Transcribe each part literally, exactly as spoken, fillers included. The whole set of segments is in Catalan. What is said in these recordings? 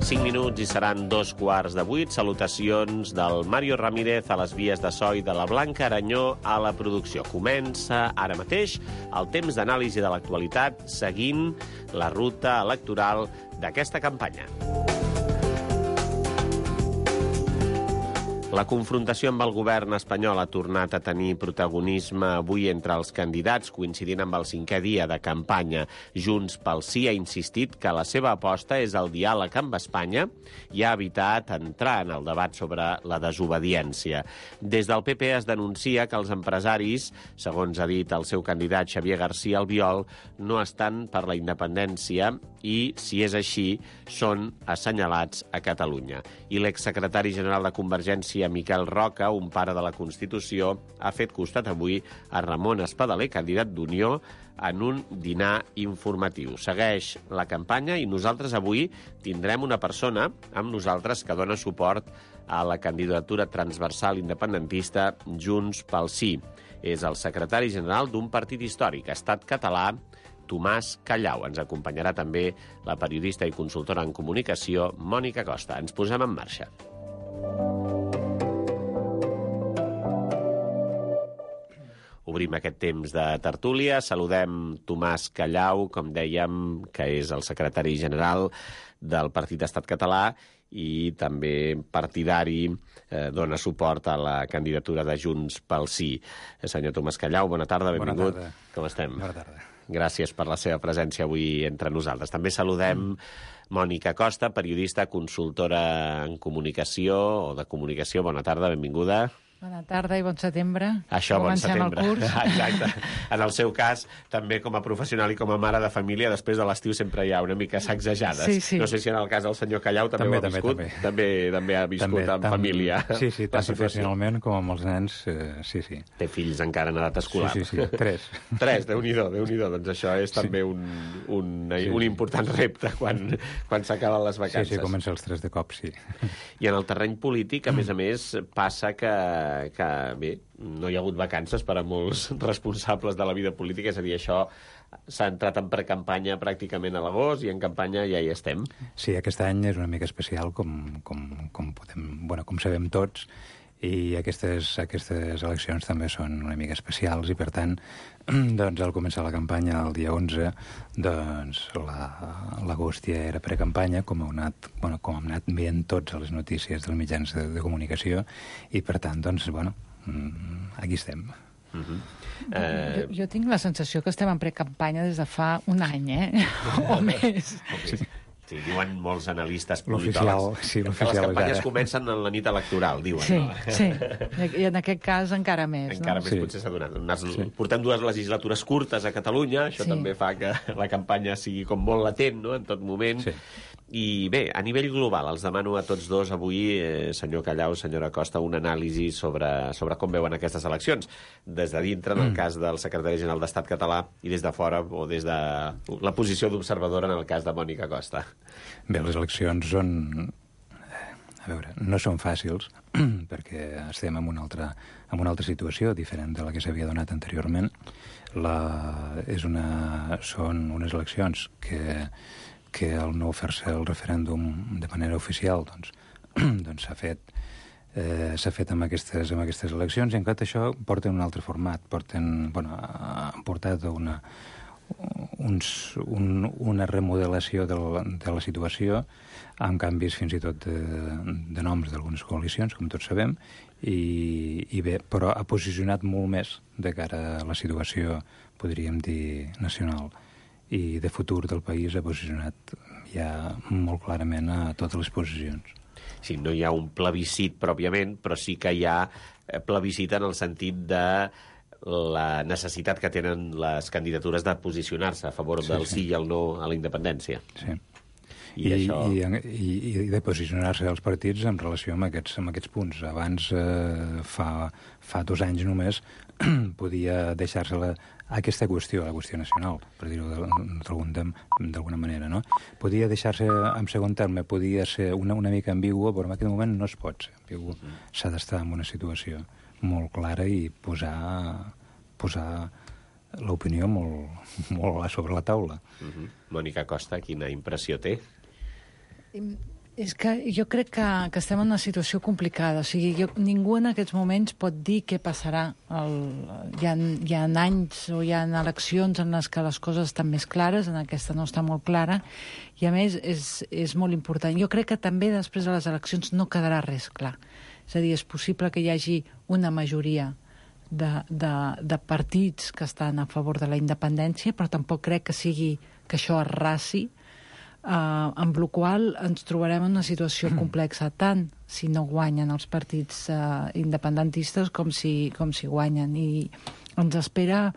cinc minuts i seran dos quarts de vuit. Salutacions del Mario Ramírez a les vies de so i de la Blanca Aranyó a la producció. Comença ara mateix el temps d'anàlisi de l'actualitat seguint la ruta electoral d'aquesta campanya. La confrontació amb el govern espanyol ha tornat a tenir protagonisme avui entre els candidats, coincidint amb el cinquè dia de campanya. Junts pel Sí ha insistit que la seva aposta és el diàleg amb Espanya i ha evitat entrar en el debat sobre la desobediència. Des del P P es denuncia que els empresaris, segons ha dit el seu candidat Xavier García Albiol, no estan per la independència i, si és així, són assenyalats a Catalunya. I l'exsecretari general de Convergència, Miquel Roca, un pare de la Constitució, ha fet costat avui a Ramon Espadaler, candidat d'Unió, en un dinar informatiu. Segueix la campanya i nosaltres avui tindrem una persona amb nosaltres que dona suport a la candidatura transversal independentista Junts pel Sí. És el secretari general d'un partit històric, Estat Català, Tomàs Callau. Ens acompanyarà també la periodista i consultora en comunicació, Mònica Costa. Ens posem en marxa. Obrim aquest temps de tertúlia. Saludem Tomàs Callau, com dèiem, que és el secretari general del Partit Estat Català i també partidari, eh, dona suport a la candidatura de Junts pel Sí. Senyor Tomàs Callau, bona tarda, benvingut. Bona tarda. Com estem? Bona tarda. Gràcies per la seva presència avui entre nosaltres. També saludem Mònica Costa, periodista, consultora en comunicació o de comunicació. Bona tarda, benvinguda. Bona tarda i bon setembre. Això, bon Comencem setembre. el curs. Exacte. En el seu cas, també com a professional i com a mare de família, després de l'estiu sempre hi ha una mica sacsejades. Sí, sí. No sé si en el cas del senyor Callau també, També, ho ha també, viscut. també. També, també ha viscut També, en tant, família. Sí, sí, tant la situació. professionalment com amb els nens, eh, sí, sí. Té fills encara en edat escolar. Sí, sí, sí, tres. Tres, Déu-n'hi-do, Déu-n'hi-do. Doncs això és Sí. també un, un, Sí, un sí. important repte quan, quan s'acaben les Sí, vacances. sí, comença els tres de cop, sí. I en el terreny polític, a més a més, passa que, que bé, no hi ha hagut vacances per a molts responsables de la vida política, és a dir, això s'ha entrat en precampanya pràcticament a l'agost i en campanya ja hi estem. Sí, aquest any és una mica especial, com, com, com, podem, bueno, com sabem tots, i aquestes, aquestes eleccions també són una mica especials i, per tant, doncs, al començar la campanya el dia onze, doncs l'agost la, ja era precampanya, com, heu anat, bueno, com hem anat veient tots a les notícies dels mitjans de, de comunicació, i, per tant, doncs, bueno, aquí estem. Uh-huh. Eh... Jo, jo tinc la sensació que estem en precampanya des de fa un any, eh? O més. Sí. Sí, diuen molts analistes L'oficial, politòlegs sí, que l'oficial les és campanyes ara. comencen en la nit electoral, diuen. Sí, no? sí. I en aquest cas encara més, Encara no? més Sí. potser s'ha donat. Unes, Sí. Portem dues legislatures curtes a Catalunya, això Sí. també fa que la campanya sigui com molt latent, no?, en tot moment. Sí. I bé, a nivell global, els demano a tots dos avui, eh, senyor Callau, senyora Costa, un anàlisi sobre, sobre com veuen aquestes eleccions. Des de dintre, en el cas del secretari general d'Estat Català, i des de fora, o des de la posició d'observadora, en el cas de Mònica Costa. Bé, les eleccions són... A veure, no són fàcils, perquè estem en una altra, en una altra situació diferent de la que s'havia donat anteriorment. La, és una, són unes eleccions que, que al no fer-se el referèndum de manera oficial, doncs, doncs s'ha fet eh, s'ha fet amb aquestes, amb aquestes eleccions, i en tot això porten un altre format, porten, bueno, han portat una, uns, un, una remodelació de la, de la situació, amb canvis fins i tot de, de noms d'algunes coalicions, com tots sabem, i, i bé, però ha posicionat molt més de cara a la situació, podríem dir, nacional, i de futur del país ha posicionat ja molt clarament a totes les posicions. Sí, no hi ha un plebiscit pròpiament, però sí que hi ha plebiscit en el sentit de la necessitat que tenen les candidatures de posicionar-se a favor Sí, del sí. sí i el no a la independència. Sí. I, I, això... i, i, i de posicionar-se els partits en relació amb aquests, amb aquests punts. Abans, eh, fa, fa dos anys només, podia deixar-se la, aquesta qüestió, la qüestió nacional, per dir-ho d'alguna manera, no? Podia deixar-se en segon terme, podia ser una, una mica ambigua, però en aquest moment no es pot ser ambigu. Mm. S'ha d'estar en una situació molt clara i posar, posar l'opinió molt, molt sobre la taula. Uh-huh. Mònica Costa, quina impressió té? És que jo crec que, que estem en una situació complicada. O sigui, jo, ningú en aquests moments pot dir què passarà. El, hi, ha, hi ha anys o hi ha eleccions en les que les coses estan més clares, en aquesta no està molt clara, i a més és, és molt important. Jo crec que també després de les eleccions no quedarà res clar. És a dir, és possible que hi hagi una majoria de, de, de partits que estan a favor de la independència, però tampoc crec que sigui que això arrasi, Uh, amb la qual ens trobarem en una situació complexa, tant si no guanyen els partits uh, independentistes com si, com si guanyen. I ens espera,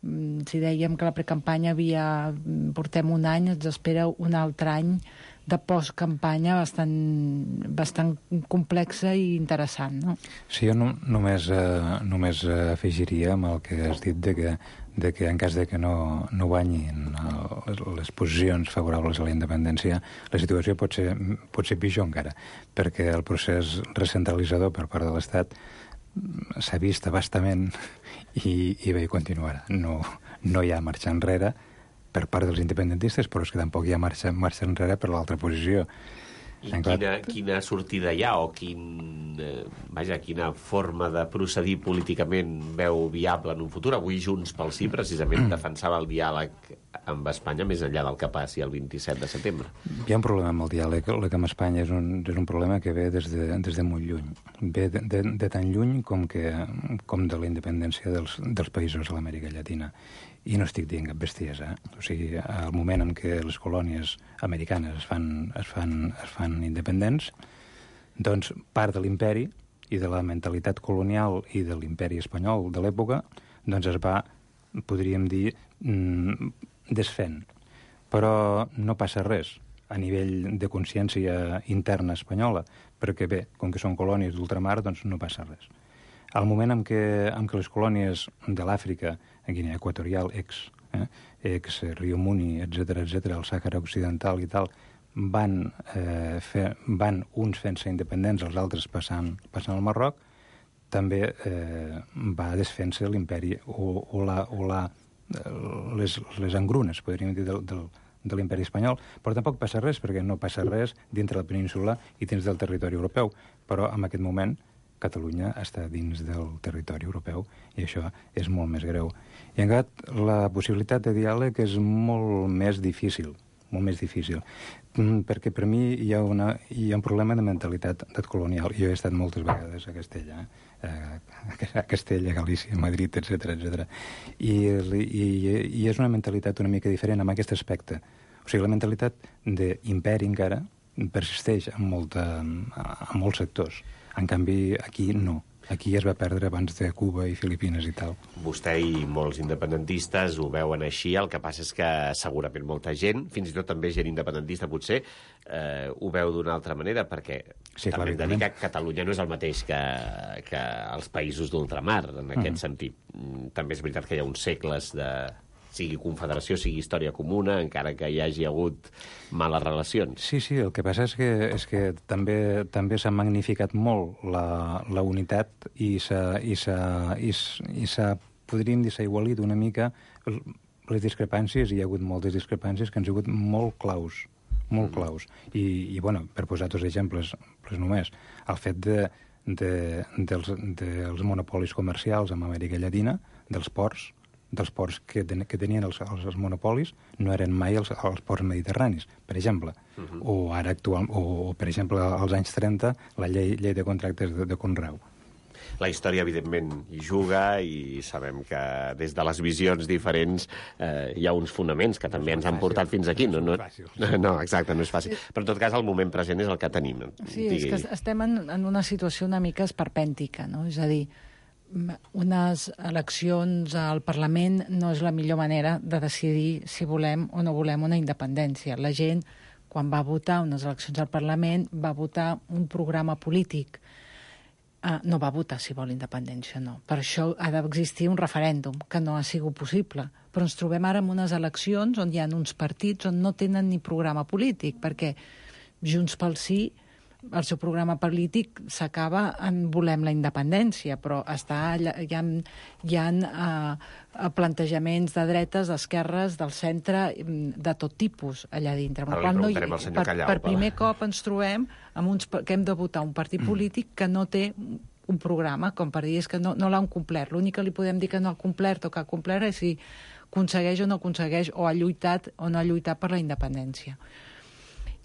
si dèiem que la precampanya havia, portem un any, ens espera un altre any de postcampanya bastant, bastant complexa i interessant, no? Sí, jo no, només, eh, només afegiria amb el que has dit de que, de que en cas de que no, no guanyin les, les posicions favorables a la independència, la situació pot ser, pot ser pitjor encara, perquè el procés recentralitzador per part de l'Estat s'ha vist abastament i, i bé, continuarà. No, no hi ha marxa enrere per part dels independentistes, però és que tampoc hi ha marxa, marxa enrere per l'altra posició. I quina, quina sortida hi ha o quin, eh, vaja, quina forma de procedir políticament veu viable en un futur? Avui Junts pel Sí precisament defensava el diàleg amb Espanya més enllà del que passi el vint-i-set de setembre. Hi ha un problema amb el diàleg. El que amb Espanya és un, és un problema que ve des de, des de molt lluny. Ve de, de, de tan lluny com, que, com de la independència dels, dels països de l'Amèrica Llatina. I no estic dient cap bestiesa. Eh? O sigui, al moment en què les colònies americanes es fan, es fan, es fan independents, doncs part de l'imperi i de la mentalitat colonial i de l'imperi espanyol de l'època doncs es va, podríem dir, desfent. Però no passa res a nivell de consciència interna espanyola, perquè bé, com que són colònies d'ultramar, doncs no passa res. Al moment en què, en què les colònies de l'Àfrica, a Guinea Equatorial, ex, eh, ex Rio Muni, etcètera, etcètera, el Sàhara Occidental i tal, van, eh, fer, van uns fent-se independents, els altres passant, passant al Marroc, també eh, va desfent-se l'imperi o, o, la, o la, les, les engrunes, podríem dir, del, del, de l'imperi espanyol, però tampoc passa res, perquè no passa res dintre la península i dins del territori europeu, però en aquest moment Catalunya està dins del territori europeu i això és molt més greu. I en canvi, la possibilitat de diàleg és molt més difícil, molt més difícil, perquè per mi hi ha, una, hi ha un problema de mentalitat colonial. Jo he estat moltes vegades a Castella, eh? a Castella, Galícia, Madrid, etcètera, etcètera. I, i, I és una mentalitat una mica diferent en aquest aspecte. O sigui, la mentalitat d'imperi encara persisteix en, molta, en molts sectors. En canvi, aquí no. Aquí es va perdre abans de Cuba i Filipines i tal. Vostè i molts independentistes ho veuen així, el que passa és que segurament molta gent, fins i tot també gent independentista potser, eh, ho veu d'una altra manera, perquè sí, també hem de dir que Catalunya no és el mateix que, que els països d'ultramar, en aquest mm. sentit. També és veritat que hi ha uns segles de... sigui confederació, sigui història comuna, encara que hi hagi hagut males relacions. Sí, sí, el que passa és que, és que també també s'ha magnificat molt la, la unitat i s'ha, i s'ha, i s'ha, podríem dir, s'ha igualit una mica les discrepàncies, i hi ha hagut moltes discrepàncies que han sigut molt claus, molt claus. I, i bueno, per posar dos exemples, pues només, el fet de, de, dels, dels monopolis comercials amb Amèrica Llatina, dels ports, dels ports que, ten, que tenien els, els, els monopolis no eren mai els, els ports mediterranis, per exemple. Uh -huh. O ara actual, o, o per exemple als anys trenta la llei, llei de contractes de, de conreu. La història, evidentment, hi juga i sabem que des de les visions diferents eh, hi ha uns fonaments que no també ens han portat fins aquí. No, no, no, exacte, no és fàcil. Però, en tot cas, el moment present és el que tenim. Sí, digui. És que estem en, en una situació una mica esperpèntica, no? És a dir, unes eleccions al Parlament no és la millor manera de decidir si volem o no volem una independència. La gent, quan va votar unes eleccions al Parlament, va votar un programa polític. Uh, no va votar si vol independència, no. Per això ha d'existir un referèndum, que no ha sigut possible. Però ens trobem ara en unes eleccions on hi ha uns partits on no tenen ni programa polític, perquè Junts pel Sí el seu programa polític s'acaba en volem la independència, però està, hi ha, hi ha uh, plantejaments de dretes, d'esquerres, del centre, de tot tipus allà dintre. Ara li preguntarem al senyor Callau. Per, per primer cop ens trobem amb uns, que hem de votar un partit polític que no té un programa, com per dir, és que no, no l'han complert. L'únic que li podem dir que no ha complert o que ha complert és si aconsegueix o no aconsegueix, o ha lluitat o no ha lluitat per la independència.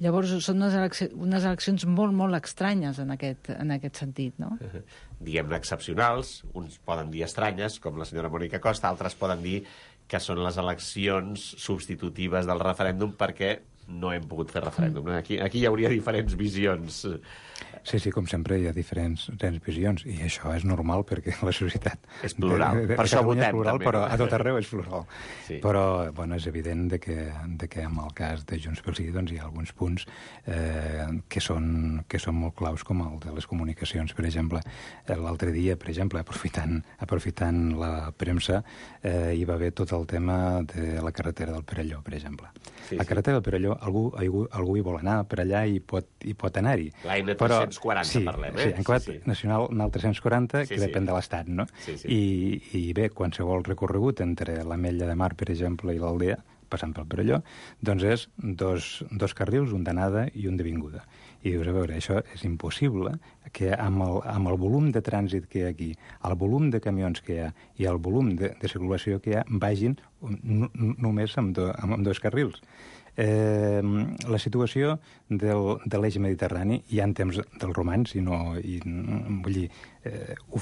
Llavors, són unes, eleccions, unes eleccions molt, molt estranyes en aquest, en aquest sentit, no? Uh -huh. Diguem-ne excepcionals, uns poden dir estranyes, com la senyora Mònica Costa, altres poden dir que són les eleccions substitutives del referèndum perquè no hem pogut fer referèndum. Mm. Aquí, aquí hi hauria diferents visions. Sí, sí, com sempre hi ha diferents, diferents visions, i això és normal perquè la societat... És plural, de, de, de per això votem plural, també. Però a tot arreu és plural. Sí. Però, bueno, és evident de que, de que en el cas de Junts pel Sí doncs, hi ha alguns punts eh, que, són, que són molt claus, com el de les comunicacions, per exemple. L'altre dia, per exemple, aprofitant, aprofitant la premsa, eh, hi va haver tot el tema de la carretera del Perelló, per exemple. Sí, la sí. carretera del Perelló, algú, algú, algú hi vol anar per allà i pot, i pot anar-hi. La N tres-cents quaranta, sí, parlem, eh? Sí, en quart sí, sí. nacional, en el tres-cents quaranta, sí, que sí. depèn de l'Estat, no? Sí, sí. I, I bé, qualsevol recorregut entre l'Ametlla de Mar, per exemple, i l'Aldea, passant pel Perelló, doncs és dos, dos carrils, un d'anada i un de vinguda. I dius, a veure, això és impossible que amb el, amb el volum de trànsit que hi ha aquí, el volum de camions que hi ha i el volum de, de circulació que hi ha, vagin només amb, do, amb, amb dos carrils. Eh, la situació del, de l'eix mediterrani ja en temps dels romans, i no, i, vull dir, eh, ho,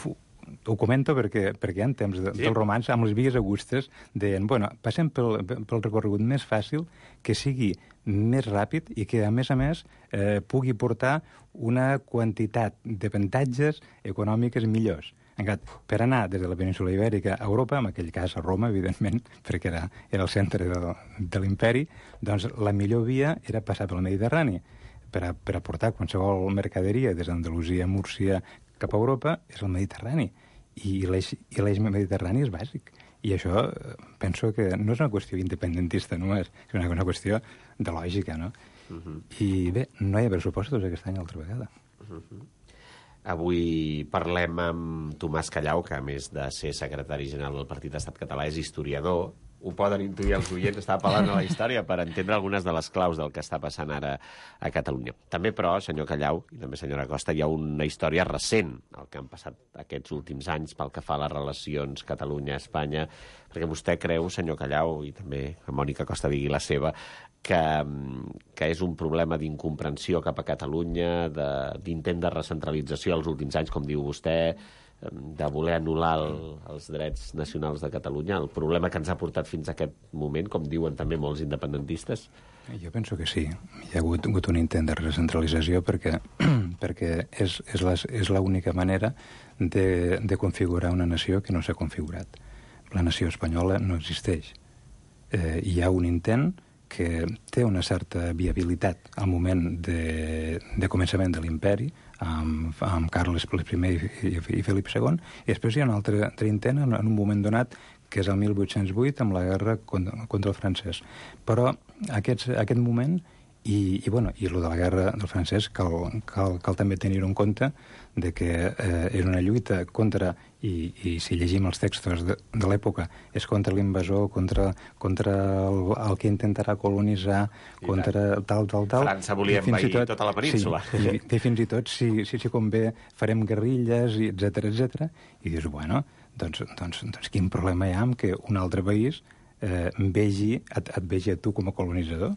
ho comento perquè, perquè en temps de, sí. dels romans, amb les vies augustes, deien, bueno, passem pel, pel recorregut més fàcil, que sigui més ràpid i que, a més a més, eh, pugui portar una quantitat d'avantatges econòmiques millors. Per anar des de la península Ibèrica a Europa, en aquell cas a Roma, evidentment, perquè era, era el centre de, de l'imperi, doncs la millor via era passar pel Mediterrani. Per, a, per aportar qualsevol mercaderia des d'Andalusia, Múrcia, cap a Europa, és el Mediterrani. I l'eix mediterrani és bàsic. I això penso que no és una qüestió independentista només, és una, una qüestió de lògica, no? Uh -huh. I bé, no hi ha pressupostos aquest any altra vegada. Uh -huh. Avui parlem amb Tomàs Callau, que a més de ser secretari general del Partit Estat Català és historiador. Ho poden intuir els oients, està apel·lant a la història per entendre algunes de les claus del que està passant ara a Catalunya. També, però, senyor Callau, i també senyora Costa, hi ha una història recent, el que han passat aquests últims anys pel que fa a les relacions Catalunya-Espanya, perquè vostè creu, senyor Callau, i també a Mònica Costa digui la seva, que, que és un problema d'incomprensió cap a Catalunya, d'intent de, de recentralització als últims anys, com diu vostè, de voler anul·lar el, els drets nacionals de Catalunya, el problema que ens ha portat fins a aquest moment, com diuen també molts independentistes? Jo penso que sí. Hi ha hagut, hagut un intent de recentralització perquè, perquè és, és l'única manera de, de configurar una nació que no s'ha configurat. La nació espanyola no existeix. Eh, hi ha un intent que té una certa viabilitat al moment de, de començament de l'imperi, amb, amb Carles I i, i Felip segon, i després hi ha un altre, altre intent en, en un moment donat, que és el mil vuit-cents vuit, amb la guerra contra, contra el francès. Però aquests, aquest moment, i, i, bueno, i el de la guerra del francès, cal, cal, cal també tenir en compte de que eh, era una lluita contra, i, i si llegim els textos de, de l'època, és contra l'invasor, contra, contra el, el que intentarà colonitzar, I contra tal, tal, tal. França volia envair tot, tota la península. Sí, i, i fins i tot, si, si, si convé, farem guerrilles, etcètera, etcètera. I dius, bueno, doncs, doncs, doncs quin problema hi ha amb que un altre país eh, vegi, et, et vegi a tu com a colonitzador?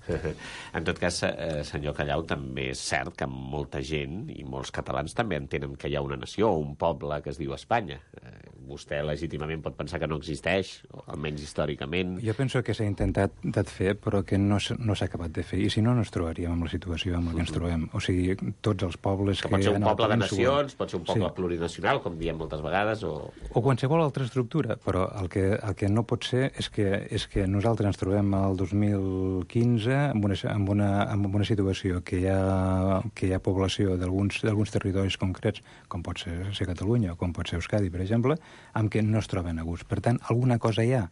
En tot cas, eh, senyor Callau, també és cert que molta gent i molts catalans també entenen que hi ha una nació o un poble que es diu Espanya. Eh, vostè legítimament pot pensar que no existeix, o almenys històricament. Jo penso que s'ha intentat de fer, però que no s'ha no acabat de fer. I si no, no ens trobaríem amb la situació amb la que ens trobem. O sigui, tots els pobles que... que pot ser un poble de nacions, nacions, pot ser un poble sí. plurinacional, com diem moltes vegades, o... O qualsevol altra estructura, però el que, el que no pot ser és que, és que nosaltres ens trobem al dos mil quinze amb una, amb una, amb una situació que hi ha, que hi ha població d'alguns territoris concrets, com pot ser, ser Catalunya o com pot ser Euskadi, per exemple, amb què no es troben a gust. Per tant, alguna cosa hi ha,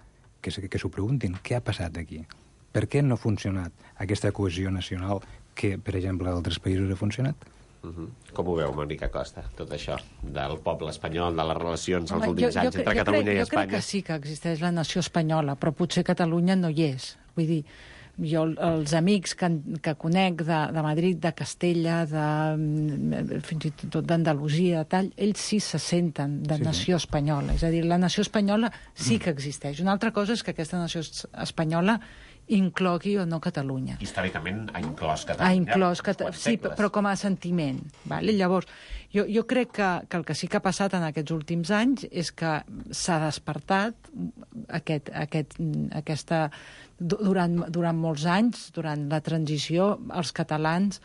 que, que s'ho preguntin, què ha passat aquí? Per què no ha funcionat aquesta cohesió nacional que, per exemple, a altres països ha funcionat. Uh -huh. Com ho veu, Mònica Costa, tot això, del poble espanyol, de les relacions als Home, últims jo, anys jo, entre jo Catalunya crec, i jo Espanya? Jo crec que sí que existeix la nació espanyola, però potser Catalunya no hi és. Vull dir, jo els amics que, que conec de, de Madrid, de Castella, de, fins i tot d'Andalusia, tal, ells sí se senten de sí, nació sí. espanyola. És a dir, la nació espanyola sí que existeix. Una altra cosa és que aquesta nació espanyola inclogui o no Catalunya. Històricament ha inclòs Catalunya. Ha inclòs Catalunya, sí, però com a sentiment. Vale? Llavors, jo, jo crec que, que el que sí que ha passat en aquests últims anys és que s'ha despertat aquest, aquest, aquesta... Durant, durant molts anys, durant la transició, els catalans,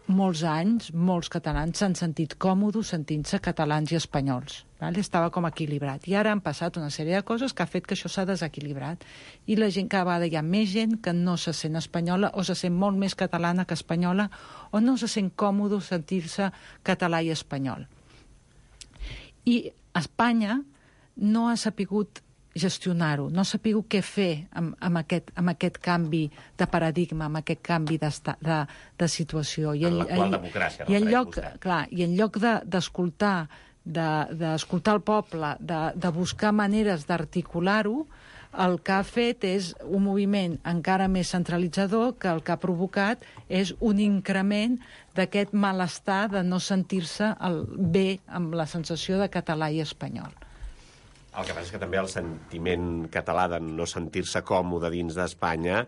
molts anys, molts catalans s'han sentit còmodes sentint-se catalans i espanyols. Vale? Estava com equilibrat. I ara han passat una sèrie de coses que ha fet que això s'ha desequilibrat. I la gent, cada vegada hi ha més gent que no se sent espanyola o se sent molt més catalana que espanyola o no se sent còmode sentir-se català i espanyol. I Espanya no ha sapigut gestionar-ho, no ha sapigut què fer amb, amb, aquest, amb aquest canvi de paradigma, amb aquest canvi de, de, de situació. I en l'actual democràcia. I en lloc, clar, i en lloc d'escoltar de, d'escoltar el poble, de, de buscar maneres d'articular-ho, el que ha fet és un moviment encara més centralitzador que el que ha provocat és un increment d'aquest malestar de no sentir-se bé amb la sensació de català i espanyol. El que passa és que també el sentiment català de no sentir-se còmode dins d'Espanya,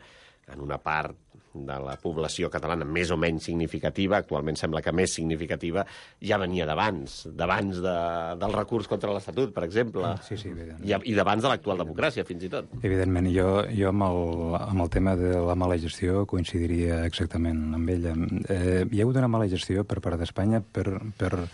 en una part de la població catalana més o menys significativa, actualment sembla que més significativa, ja venia d'abans, d'abans de, del recurs contra l'Estatut, per exemple, sí, sí, i, i d'abans de l'actual democràcia, fins i tot. Evidentment, jo, jo amb, el, amb el tema de la mala gestió coincidiria exactament amb ella. Eh, hi ha hagut una mala gestió per part d'Espanya per... per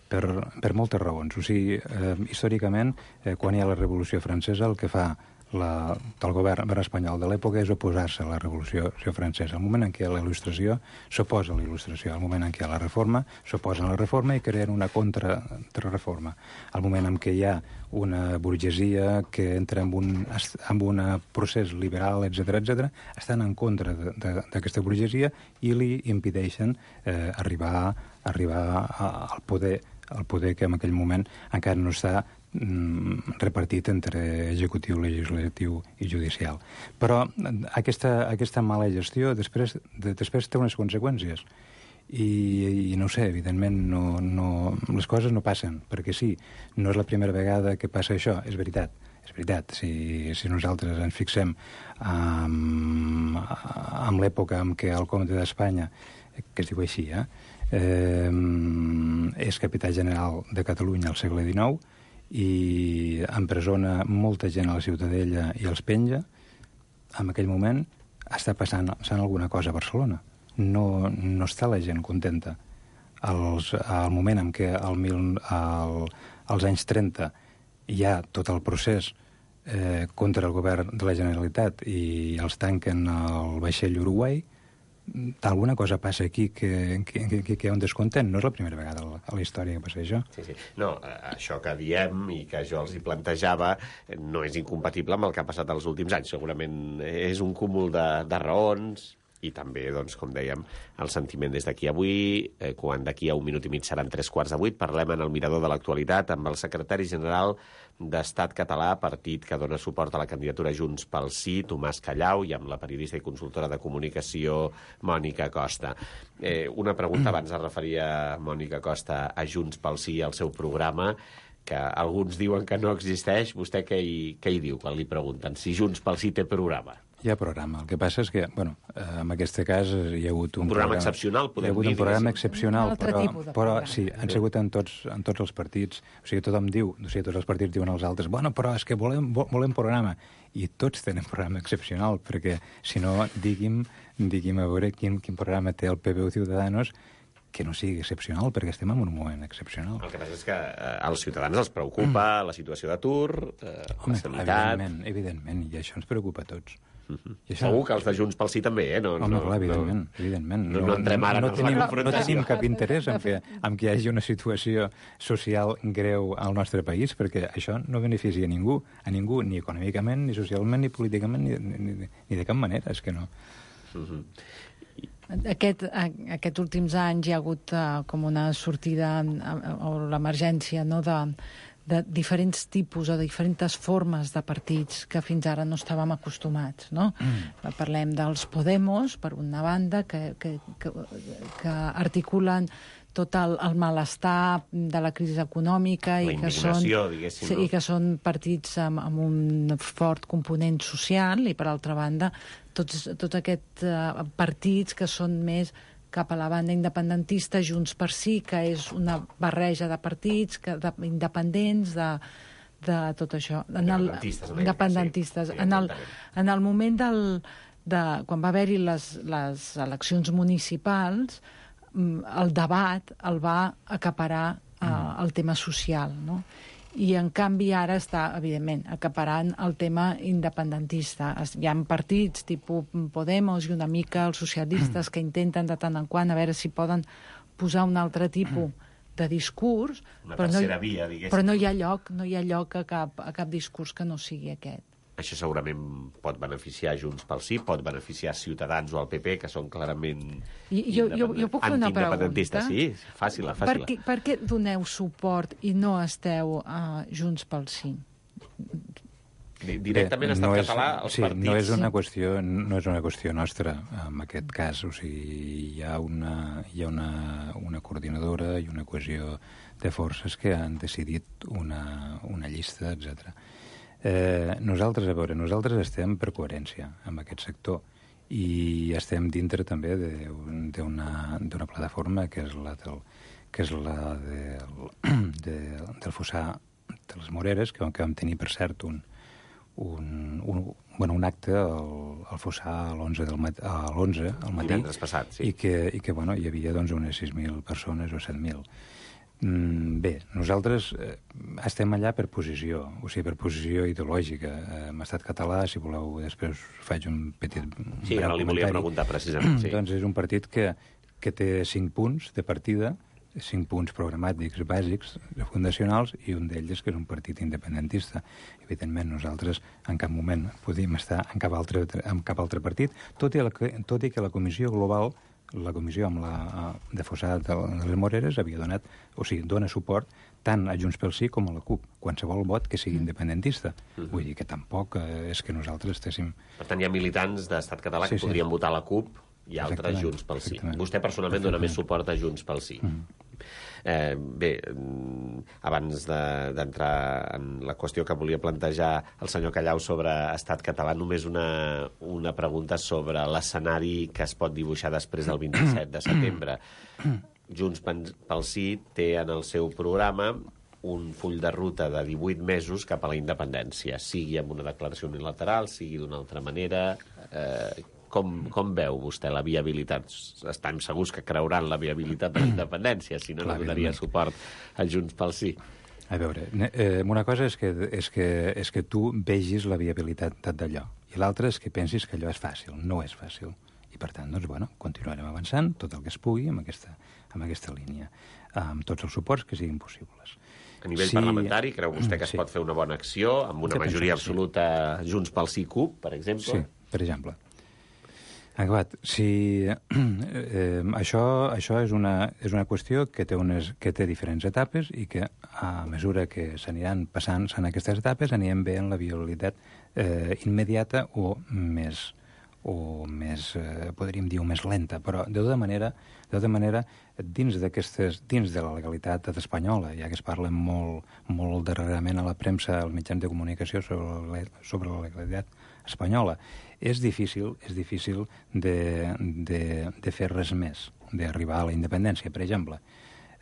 Per, per moltes raons. O sigui, eh, històricament, eh, quan hi ha la Revolució Francesa, el que fa la, el govern espanyol de l'època és oposar-se a la Revolució Francesa. Al moment en què hi ha la Il·lustració, s'oposa a la Il·lustració. Al moment en què hi ha la Reforma, s'oposa a la Reforma i creen una contrarreforma. Al moment en què hi ha una burgesia que entra en un, en un procés liberal, etcètera, etcètera, estan en contra d'aquesta burgesia i li impedeixen eh, arribar, arribar al poder el poder que en aquell moment encara no està mm, repartit entre executiu, legislatiu i judicial. Però aquesta, aquesta mala gestió després, de, després té unes conseqüències. I, i no ho sé, evidentment no, no, les coses no passen, perquè sí, no és la primera vegada que passa això, és veritat. És veritat, si, si nosaltres ens fixem en, en l'època en què el comte d'Espanya, que es diu així, eh, Eh, és capità general de Catalunya al segle dinou i empresona molta gent a la Ciutadella i els penja, en aquell moment està passant, passant alguna cosa a Barcelona. No, no està la gent contenta. Els, al moment en què al mil, al, als anys trenta hi ha tot el procés eh, contra el govern de la Generalitat i els tanquen el vaixell Uruguai, alguna cosa passa aquí que, que, que, que hi ha un descontent. No és la primera vegada a la història que passa això. Sí, sí. No, això que diem i que jo els hi plantejava no és incompatible amb el que ha passat els últims anys. Segurament és un cúmul de, de raons i també, doncs, com dèiem, el sentiment des d'aquí avui, eh, quan d'aquí a un minut i mig seran tres quarts de vuit, parlem en el Mirador de l'Actualitat amb el secretari general d'Estat Català, partit que dona suport a la candidatura Junts pel Sí, Tomàs Callau, i amb la periodista i consultora de comunicació Mònica Costa. Eh, una pregunta, abans es referia Mònica Costa a Junts pel Sí, al seu programa, que alguns diuen que no existeix. Vostè què hi, què hi diu quan li pregunten si Junts pel Sí té programa? Hi ha programa. El que passa és que, bueno, en aquest cas hi ha hagut un, un programa, programa excepcional, podem dir. Hi ha hagut dir, un programa diguéssim. excepcional, però, però programa. sí, han sigut en tots, en tots els partits. O sigui, tothom diu, o sigui, tots els partits diuen als altres, bueno, però és que volem, volem programa. I tots tenen programa excepcional, perquè, si no, digui'm, digui'm a veure quin, quin programa té el P B U Ciudadanos que no sigui excepcional, perquè estem en un moment excepcional. El que passa és que eh, als ciutadans els preocupa mm. la situació d'atur, eh, Home, la sanitat... Evidentment, evidentment, i això ens preocupa a tots. Uh-huh. I això... Segur que els de Junts pel Sí també, eh? No, Home, no, clar, evidentment, no, evidentment. No, no entrem ara no, en tenim, la confrontació. No tenim cap interès en que, en que hi hagi una situació social greu al nostre país, perquè això no beneficia a ningú, a ningú, ni econòmicament, ni socialment, ni políticament, ni, ni, ni de cap manera, és que no. Uh-huh. Aquest, aquests últims anys hi ha hagut uh, com una sortida o l'emergència, no?, de, de diferents tipus o de diferents formes de partits que fins ara no estàvem acostumats, no? Mm. Parlem dels Podemos, per una banda, que, que, que, que articulen tot el, el malestar de la crisi econòmica la i que són, diguéssim, sí, no? i que són partits amb, amb un fort component social, i per altra banda tots, tots aquests uh, partits que són més cap a la banda independentista, Junts per Sí, que és una barreja de partits que, de, independents, de, de tot això. En el, independentistes. independentistes. Sí, en, el, en el moment del, de, quan va haver-hi les, les eleccions municipals, el debat el va acaparar uh, el tema social, no? I, en canvi, ara està, evidentment, acaparant el tema independentista. Hi ha partits, tipus Podemos i una mica els socialistes, que intenten de tant en quant a veure si poden posar un altre tipus de discurs, una però no, tercera via, diguéssim. Però no hi ha lloc, no hi ha lloc a cap, a cap discurs que no sigui aquest. Això segurament pot beneficiar Junts pel Sí, pot beneficiar Ciutadans o el P P, que són clarament I, jo, jo, jo puc fer una pregunta? Sí, fàcil, fàcil. Per què, per què doneu suport i no esteu a Junts pel Sí? Directament ha estat no és, català els sí, partits. No és, una qüestió, no és una qüestió nostra, en aquest cas. O sigui, hi ha una, hi ha una, una coordinadora i una cohesió de forces que han decidit una, una llista, etcètera. Eh, nosaltres, a veure, nosaltres estem per coherència amb aquest sector i estem dintre també d'una plataforma que és la del, que és la del, de, del Fossar de les Moreres, que, que vam tenir, per cert, un, un, un, bueno, un acte al, al Fossar a l'onze del matí, a l'onze al matí, divendres passat, sí. i que, i que bueno, hi havia doncs, unes sis mil persones o set mil. Mm, bé, nosaltres eh, estem allà per posició, o sigui, per posició ideològica. Eh, hem estat català, si voleu, després faig un petit sí, ara li volia preguntar precisament. Sí. Doncs és un partit que, que té cinc punts de partida, cinc punts programàtics bàsics, fundacionals, i un d'ells que és un partit independentista. Evidentment, nosaltres en cap moment podíem estar en cap altre, en cap altre partit, tot i, la, tot i que la Comissió Global, la comissió amb la de Fossar de les Moreres havia donat, o sigui, dona suport tant a Junts pel Sí com a la CUP, qualsevol vot que sigui independentista. Uh-huh. Vull dir que tampoc eh, és que nosaltres estéssim... Per tant, hi ha militants d'Estat català sí, que podrien sí. votar la CUP i altres Junts pel Sí. Vostè personalment dona més suport a Junts pel Sí. Uh-huh. Eh, bé, abans d'entrar de, en la qüestió que volia plantejar el senyor Callau sobre Estat català, només una, una pregunta sobre l'escenari que es pot dibuixar després del vint-i-set de setembre. Junts pel Sí té en el seu programa un full de ruta de divuit mesos cap a la independència, sigui amb una declaració unilateral, sigui d'una altra manera... Eh, Com, com veu vostè la viabilitat? Estem segurs que creuran la viabilitat de la independència, si no, no donaria suport a Junts pel Sí. A veure, eh, una cosa és que, és, que, és que tu vegis la viabilitat d'allò, i l'altra és que pensis que allò és fàcil. No és fàcil. I, per tant, doncs, bueno, continuarem avançant tot el que es pugui amb aquesta, amb aquesta línia, amb tots els suports que siguin possibles. A nivell sí, parlamentari, creu vostè que es sí. pot fer una bona acció amb una que majoria absoluta sí. Junts pel Sí CUP, per exemple? Sí, per exemple. Acabat, si eh, això, això és, una, és una qüestió que té, unes, que té diferents etapes i que a mesura que s'aniran passant en aquestes etapes anirem veient la viabilitat eh, immediata o més, o més eh, podríem dir, més lenta, però de tota manera, de tota manera dins d'aquestes, dins de la legalitat espanyola, ja que es parla molt, molt darrerament a la premsa, als mitjans de comunicació sobre la, sobre la legalitat espanyola, és difícil, és difícil de, de, de fer res més, d'arribar a la independència, per exemple,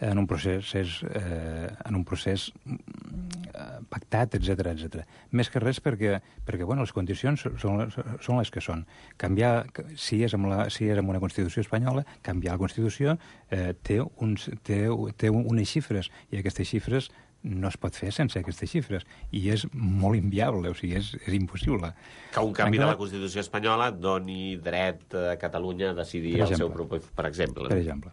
en un procés, és, eh, en un procés eh, pactat, etcètera, etcètera. Més que res perquè, perquè bueno, les condicions són, són les que són. Canviar, si és, amb la, si és amb una Constitució espanyola, canviar la Constitució eh, té, uns, té, té unes xifres, i aquestes xifres no es pot fer sense aquestes xifres, i és molt inviable, o sigui, és, és impossible. Que un canvi de la Constitució espanyola doni dret a Catalunya a decidir el seu propi, per exemple. Per exemple.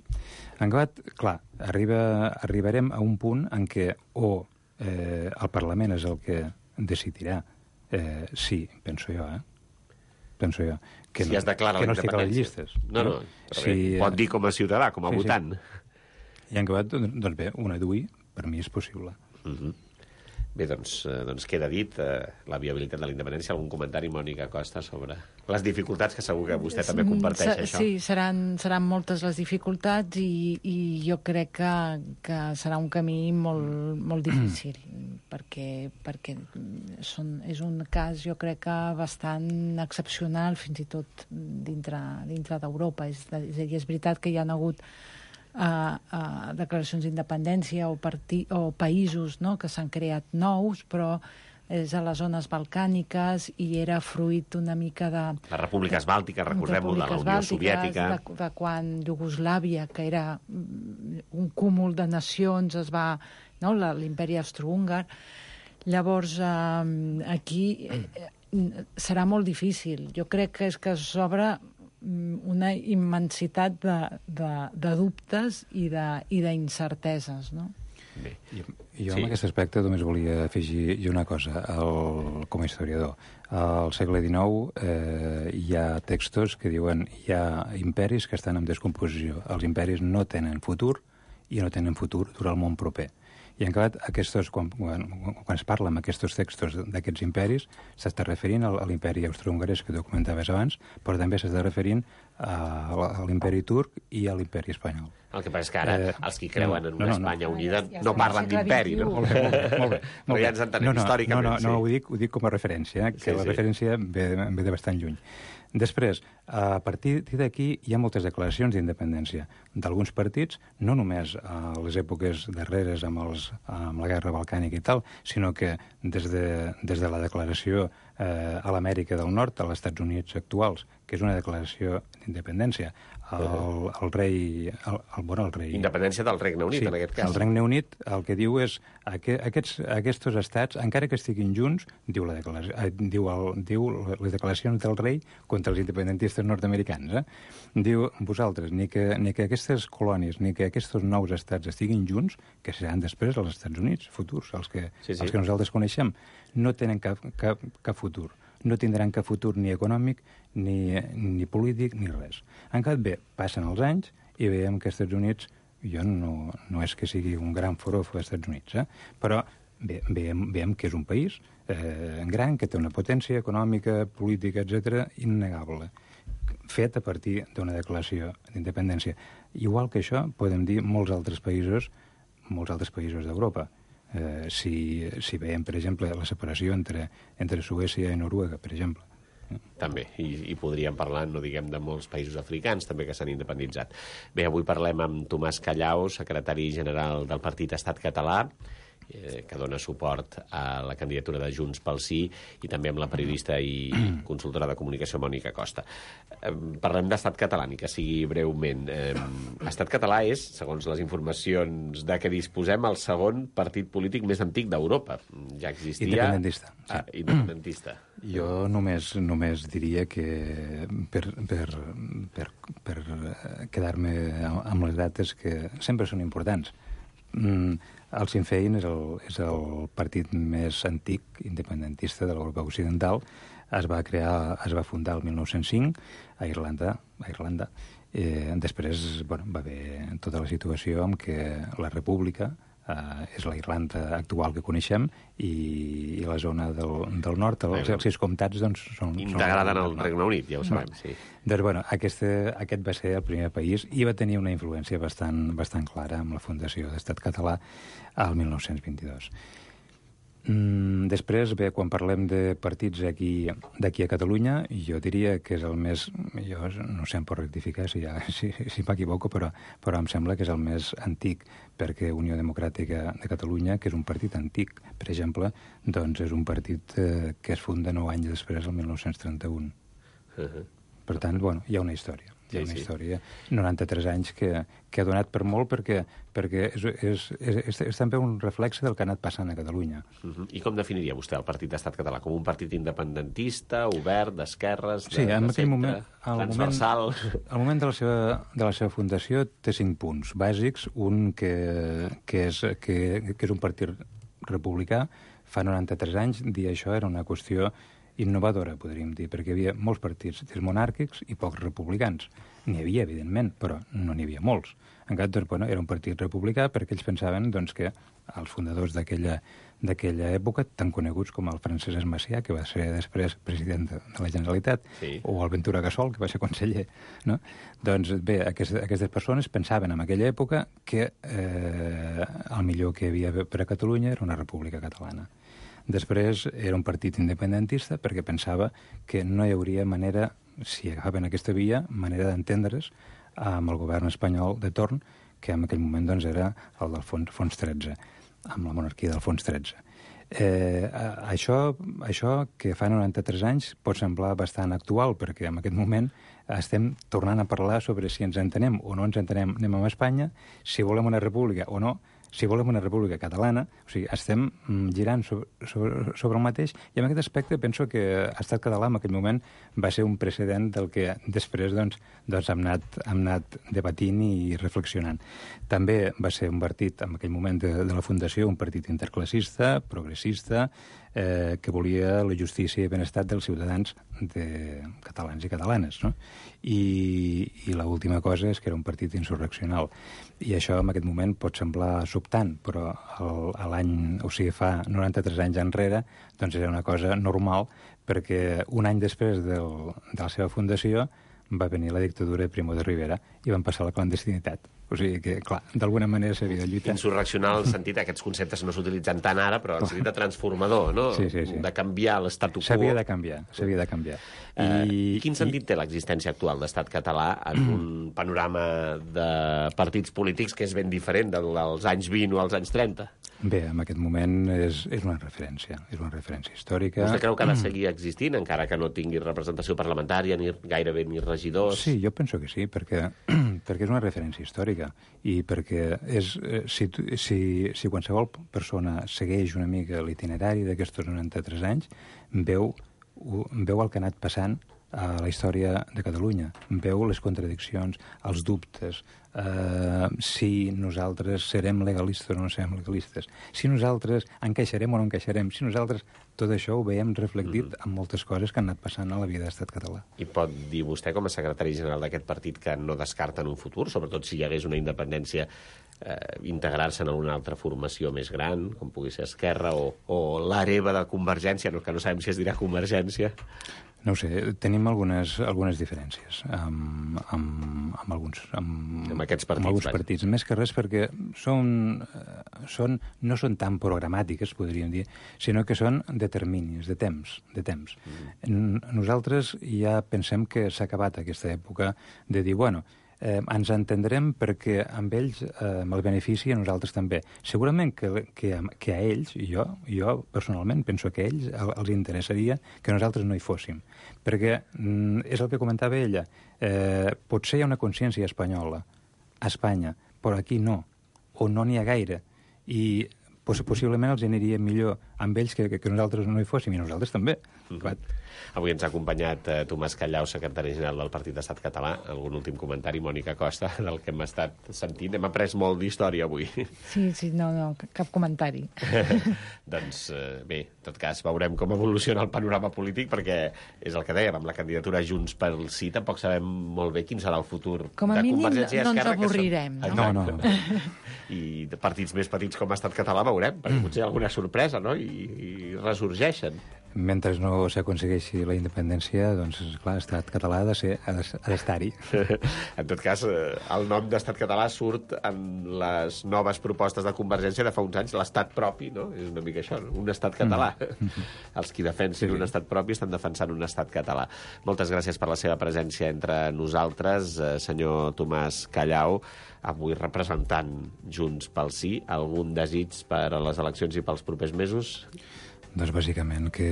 En acabat, clar, arriba, arribarem a un punt en què o eh, el Parlament és el que decidirà, eh, sí, penso jo, eh? penso jo. Que si no, es declara que la no estic a les independència. llistes. No, no, però sí, bé, pot dir com a ciutadà, com a sí, votant. Sí. I en acabat, doncs bé, una d'ui, per mi és possible. Uh-huh. Bé, doncs, eh, doncs queda dit eh, la viabilitat de la independència. Algun comentari, Mònica Costa, sobre les dificultats, que segur que vostè també comparteix, S això? Sí, seran, seran moltes les dificultats i, i jo crec que, que serà un camí molt, molt difícil, perquè, perquè són, és un cas, jo crec que bastant excepcional, fins i tot dintre, dintre d'Europa. És, és a dir, és veritat que hi ha hagut Uh, uh, declaracions d'independència o, o països, no?, que s'han creat nous, però és a les zones balcàniques i era fruit una mica de... Les repúbliques bàltiques, recordem-ho, de la Unió Soviètica. De, de quan Iugoslàvia, que era un cúmul de nacions, es va... No?, l'imperi austrohúngar. Llavors, uh, aquí eh, serà molt difícil. Jo crec que és que s'obre una immensitat de, de, de dubtes i d'incerteses, no? Bé. Jo, jo sí. en aquest aspecte només volia afegir una cosa, el, com a historiador. Al segle dinou eh, hi ha textos que diuen hi ha imperis que estan en descomposició. Els imperis no tenen futur i no tenen futur durant el món proper. I en acabat, aquestos, quan, quan, quan es parla amb aquests textos d'aquests imperis, s'està referint a l'imperi austrohongarès que tu comentaves abans, però també s'està referint a, a l'imperi turc i a l'imperi espanyol. El que passa és que ara eh, els que creuen en una no, no, Espanya no. unida ja, ja no parlen d'imperi, no? Molt bé, molt bé. Molt bé. Però ja ens entenem no, no, històricament. No, no, no, sí. ho, dic, ho dic com a referència, eh, que sí, la sí. referència ve, ve de bastant lluny. Després, a partir d'aquí hi ha moltes declaracions d'independència d'alguns partits, no només a les èpoques darreres amb, els, amb la guerra balcànica i tal, sinó que des de, des de la declaració eh, a l'Amèrica del Nord, als Estats Units actuals, que és una declaració d'independència, el, el rei... El, el, bueno, el rei... Independència del Regne Unit, sí, en aquest cas. El Regne Unit el que diu és que aquests, aquests estats, encara que estiguin junts, diu, la declaració, diu, el, diu les declaracions del rei contra els independentistes nord-americans. Eh? Diu, vosaltres, ni que, ni que aquestes colònies, ni que aquests nous estats estiguin junts, que seran després els Estats Units futurs, els que, sí, sí. els que nosaltres coneixem, no tenen cap, cap, cap futur. No tindran cap futur ni econòmic, ni, ni polític, ni res. En canvi, bé, passen els anys i veiem que els Estats Units, jo no, no és que sigui un gran forofo dels Estats Units, eh? però bé, veiem, veiem que és un país eh, gran, que té una potència econòmica, política, etcètera, innegable, fet a partir d'una declaració d'independència. Igual que això, podem dir molts altres països, molts altres països d'Europa. Eh, si, si veiem, per exemple, la separació entre, entre Suècia i Noruega, per exemple. També, i, i podríem parlar, no diguem, de molts països africans també que s'han independitzat. Bé, avui parlem amb Tomàs Callau, secretari general del Partit Estat Català, eh, que dona suport a la candidatura de Junts pel Sí, i també amb la periodista i consultora de comunicació Mònica Costa. Eh, parlem d'Estat Català, ni que sigui breument. Eh, Estat Català és, segons les informacions de què disposem, el segon partit polític més antic d'Europa. Ja existia... Independentista. Sí. Ah, independentista. Jo només, només diria que per, per, per, per quedar-me amb les dates que sempre són importants. Mm, el Sinn Féin és el, és el partit més antic independentista de l'Europa Occidental. Es va crear, es va fundar el mil nou-cents cinc a Irlanda, a Irlanda. Eh, després, bueno, va haver tota la situació en què la República eh, és la Irlanda actual que coneixem i, i la zona del, del nord, els, els sis comtats, doncs, són... Integrada en el Regne Unit, ja ho sabem, sí. Doncs, bueno, aquest, aquest va ser el primer país i va tenir una influència bastant, bastant clara amb la fundació d'Estat Català al mil nou-cents vint-i-dos. Mm, després, bé, quan parlem de partits aquí, d'aquí a Catalunya, jo diria que és el més... Jo no sé, em pot rectificar si, ja, si, si m'equivoco, però, però em sembla que és el més antic, perquè Unió Democràtica de Catalunya, que és un partit antic, per exemple, doncs és un partit eh, que es funda nou anys després, el mil nou-cents trenta-u. Uh-huh. Per tant, bueno, hi ha una història. Hi ha sí, una sí. història, noranta-tres anys, que, que ha donat per molt perquè, perquè és, és, és, és, és també un reflexe del que ha anat passant a Catalunya. Uh-huh. I com definiria vostè el Partit d'Estat Català? Com un partit independentista, obert, d'esquerres, de, sí, en de centre, moment, transversal? Moment, al moment de la, seva, de la seva fundació té cinc punts bàsics. Un que, que, és, que, que és un partit republicà. Fa noranta-tres anys dir això era una qüestió innovadora, podríem dir, perquè hi havia molts partits monàrquics i pocs republicans. N'hi havia, evidentment, però no n'hi havia molts. En canvi, doncs, bueno, era un partit republicà perquè ells pensaven doncs, que els fundadors d'aquella d'aquella època, tan coneguts com el Francesc Macià, que va ser després president de, de la Generalitat, sí. o el Ventura Gasol, que va ser conseller, no? Doncs bé, aquestes, aquestes persones pensaven en aquella època que eh, el millor que hi havia per a Catalunya era una república catalana. Després era un partit independentista perquè pensava que no hi hauria manera, si agafaven aquesta via, manera d'entendre's amb el govern espanyol de torn, que en aquell moment doncs, era el del Fons, Fons tretze, amb la monarquia del Fons tretze. Eh, això, això que fa noranta-tres anys pot semblar bastant actual, perquè en aquest moment estem tornant a parlar sobre si ens entenem o no ens entenem anem a Espanya, si volem una república o no, si volem una república catalana, o sigui, estem girant sobre, sobre, sobre el mateix, i en aquest aspecte penso que l'estat català en aquell moment va ser un precedent del que després doncs, doncs hem, anat, hem anat debatint i reflexionant. També va ser un partit, en aquell moment de, de la fundació, un partit interclassista, progressista, eh, que volia la justícia i benestar dels ciutadans de catalans i catalanes, no? I, i l'última cosa és que era un partit insurreccional. I això en aquest moment pot semblar sobtant, però l'any, o sigui, fa noranta-tres anys enrere, doncs era una cosa normal, perquè un any després del, de la seva fundació va venir la dictadura de Primo de Rivera i van passar a la clandestinitat. O sigui que, clar, d'alguna manera s'havia de lluitar. Insurreccional, en el sentit, aquests conceptes no s'utilitzen tant ara, però en el sentit de transformador, no? Sí, sí, sí. De canviar l'estatu quo. S'havia de canviar, s'havia de canviar. I... Eh, quin sentit i... té l'existència actual d'estat català en un panorama de partits polítics que és ben diferent del, dels anys vint o als anys trenta? Bé, en aquest moment és, és una referència, és una referència històrica. Vostè creu que ha de seguir existint, encara que no tingui representació parlamentària, ni gairebé ni regidors? Sí, jo penso que sí, perquè, perquè és una referència històrica i perquè és, si, si, si qualsevol persona segueix una mica l'itinerari d'aquests noranta-tres anys, veu, veu el que ha anat passant a la història de Catalunya. Veu les contradiccions, els dubtes, eh, si nosaltres serem legalistes o no serem legalistes, si nosaltres encaixarem o no encaixarem, si nosaltres... Tot això ho veiem reflectit en moltes coses que han anat passant a la vida d'estat català. I pot dir vostè, com a secretari general d'aquest partit, que no descarta en un futur, sobretot si hi hagués una independència, eh, integrar-se en una altra formació més gran, com pugui ser Esquerra, o, o l'hereva de Convergència, no, que no sabem si es dirà Convergència? No ho sé, tenim algunes, algunes diferències amb, amb, amb, alguns, amb, amb aquests partits. Amb alguns partits. Més que res perquè són, són, no són tan programàtiques, podríem dir, sinó que són de terminis, de temps. De temps. Mm. Nosaltres ja pensem que s'ha acabat aquesta època de dir, bueno, eh, ens entendrem perquè amb ells eh, el benefici a nosaltres també. Segurament que, que, que a ells, jo, jo personalment penso que a ells els interessaria que nosaltres no hi fóssim. Perquè mm, és el que comentava ella, eh, potser hi ha una consciència espanyola a Espanya, però aquí no, o no n'hi ha gaire, i poss possiblement els aniria millor amb ells que, que, que nosaltres no hi fóssim, i nosaltres també. Mm-hmm. Avui ens ha acompanyat eh, Tomàs Callau, secretari general del Partit d'Estat Català. Algun últim comentari, Mònica Costa, del que hem estat sentint? Hem après molt d'història avui. Sí, sí, no, no, cap comentari. Doncs eh, bé, en tot cas, veurem com evoluciona el panorama polític, perquè és el que dèiem, amb la candidatura Junts pel Sí, tampoc sabem molt bé quin serà el futur com a de mínim, Convergència i Esquerra. No ens avorrirem, són... no? No, no. I de partits més petits com Estat Català veurem, perquè potser hi ha alguna sorpresa, no? I, i resorgeixen. Mentre no s'aconsegueixi la independència, doncs, clar, Estat Català ha de ser, ha d'estar-hi. En tot cas, el nom d'Estat Català surt en les noves propostes de Convergència de fa uns anys, l'Estat propi, no? És una mica això, no? Un Estat català. Mm. Els qui defensin sí. un Estat propi estan defensant un Estat català. Moltes gràcies per la seva presència entre nosaltres, senyor Tomàs Callau, avui representant Junts pel Sí. Algun desig per a les eleccions i pels propers mesos? Doncs bàsicament que,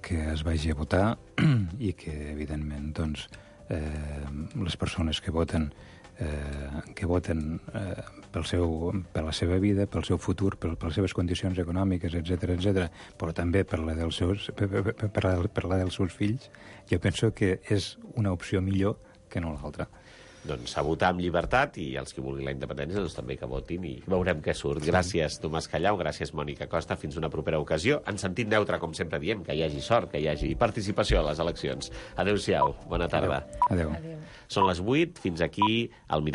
que es vagi a votar i que, evidentment, doncs, eh, les persones que voten, eh, que voten eh, pel seu, per la seva vida, pel seu futur, per, per les seves condicions econòmiques, etcètera, etcètera, però també per la, dels seus, per, per, per, la, per la dels seus fills, jo penso que és una opció millor que no l'altra. Doncs a votar amb llibertat, i els que vulguin la independència doncs també que votin i veurem què surt. Gràcies, Tomàs Callau, gràcies, Mònica Costa. Fins una propera ocasió. En sentit neutre, com sempre diem, que hi hagi sort, que hi hagi participació a les eleccions. Adéu-siau, bona tarda. Adéu. Adéu. Són les vuit, fins aquí el